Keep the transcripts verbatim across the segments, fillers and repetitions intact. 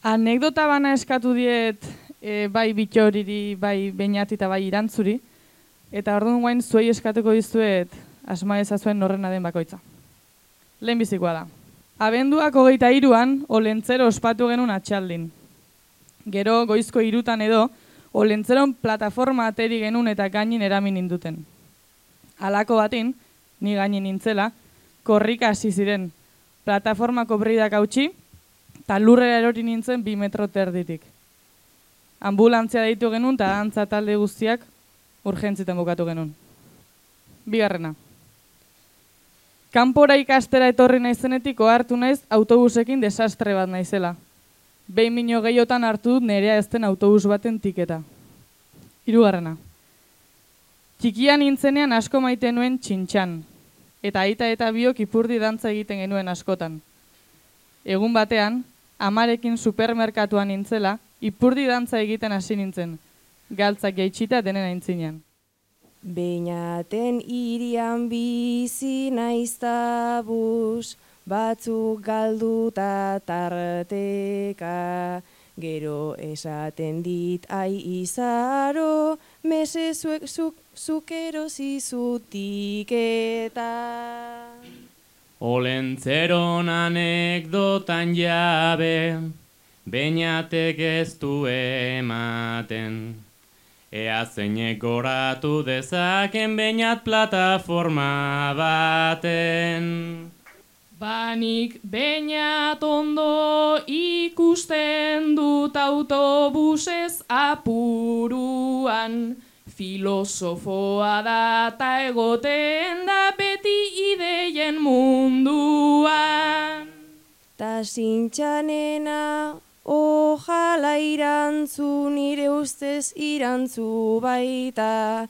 Anekdota bana eskatu diet e, bai Bittoriri, bai Beñati eta bai Irantzuri, eta orduan guain zuei eskatuko dizuet asma ezazuen norrena den bakoitza. Lehenbizikoa da. Abenduak hogeita hiruan Olentzero ospatu genuen atxaldin. Gero goizko hirutan edo Olentzeron plataforma ateri genuen eta gainin eramin induten. Halako batin, ni gainin nintzela, korrika hasi ziren. Plataformako breidak hautsi, eta lurrera erori nintzen bi metro terditik. Ambulantzia deitu genuen eta antza talde guztiak urgentzitan bukatu genuen. Bigarrena. Kanpora ikastera etorri naizenetik ohartu naiz autobusekin desastre bat naizela. Behin mino gehiotan hartu dut nerea ez den autobus baten tiketa. Hirugarrena. Txikia nintzenean asko maite nuen txintxan, eta aita eta biok ipurdi dantza egiten genuen askotan. Egun batean, amarekin supermerkatuan nintzela, ipurdi dantza egiten hasi nintzen, galtzak jaitsita denen aintzinean. Beñaten irian bizi naiztabuz, batzuk galduta tarteka, gero esaten dit ai izaro, mese zuek zuk, zuk erosi zutiketa. Olentzeron anekdotan jabe, Beñatek ez du ematen. Ea zeinek goratu dezaken Beñat plataforma baten. Banik Beñat ondo ikusten dut autobusez apuruan, filosofoa da ta egoten da beti ideien munduan. Ta zintxanena, ojala irantzu, nire ustez irantzu baita,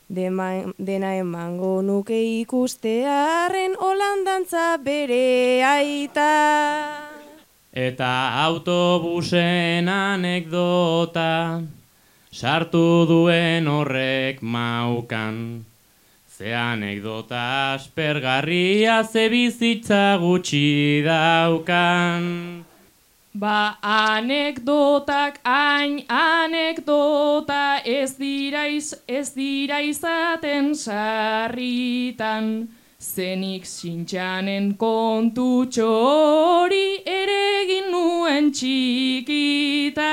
Dema, dena emango nuke ikustearen holandantza bere aita. Eta autobusen anekdota, sartu duen horrek maukan. Ze anekdota aspergarria ze bizitza gutxi daukan. Ba anekdotak hain anekdota ez dira, iz, ez dira izaten sarritan. Zenik zintxanen kontutxo hori ere egin nuen txikitan.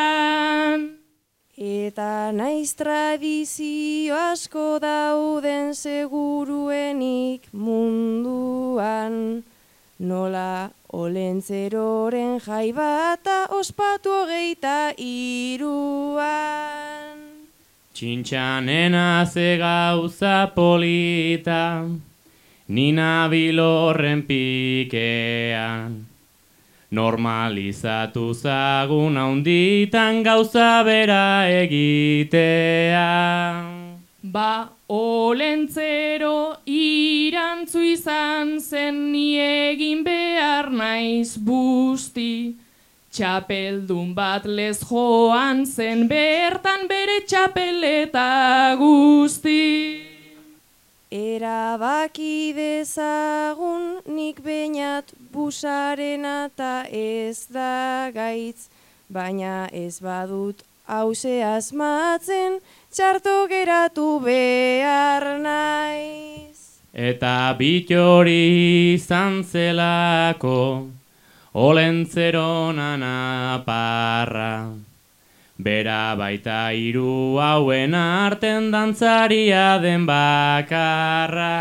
Eta naiz tradizio asko dauden seguruenik munduan, nola Olentzeroren jai bata ospatu hogeita hiruan. Txintxanena ze gauza polita, ni nabil horren pikean. Normalizatu zagun haunditan gauza bera egitea. Ba Olentzero irantzu izan zen ni egin behar naiz busti. Txapeldun bat lez joan zen bertan bere txapeleta guzti. Erabaki dezagun nik Beñat busarena ta ez da gaitz, baina ez badut hause asmatzen, txarto geratu behar naiz. Eta Bittori izan zelako, Olentzeron anaparra. Bera baita hiru hauen arten dantzaria den bakarra.